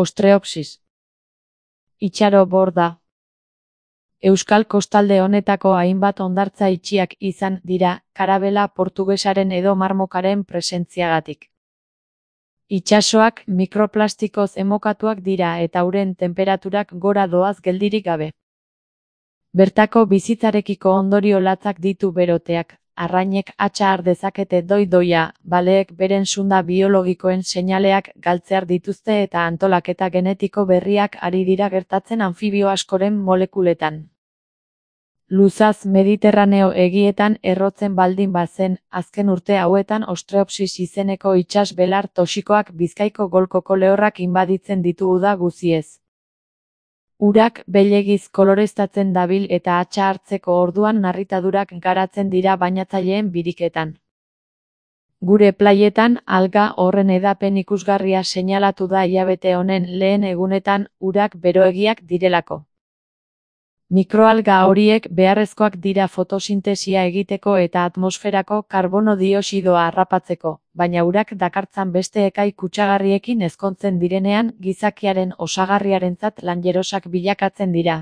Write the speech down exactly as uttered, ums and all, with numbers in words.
Ostreopsis. Itxaro borda. Euskal kostalde honetako hainbat hondartza itxiak izan dira, karabela portugesaren edo marmokaren presentziagatik. Itsasoak mikroplastikoz emokatuak dira eta uren tenperaturak gora doaz geldirik gabe. Bertako bizitzarekiko ondorio latzak ditu beroteak, arrainek hatsa har dezakete doi-doia, baleek beren sunda biologikoen seinaleak galtzear dituzte eta antolaketa genetiko berriak ari dira gertatzen anfibio askoren molekuletan. Luzaz Mediterraneo egietan errotzen baldin bazen, azken urte hauetan Ostreopsis izeneko itsas belar toxikoak Bizkaiko golkoko lehorrak inbaditzen ditu uda guziez. Urak beilegiz koloreztatzen dabil eta hatsa hartzeko orduan narritadurak garatzen dira bainatzaileen biriketan. Gure plaietan alga horren edapen ikusgarria seinalatu da hilabete honen lehen egunetan urak beroegiak direlako. Mikroalga horiek beharrezkoak dira fotosintesia egiteko eta atmosferako karbono dioxidoa harrapatzeko, baina urak dakartzan beste ekai kutsagarriekin ezkontzen direnean gizakiaren osagarriarentzat lanjerosak bilakatzen dira.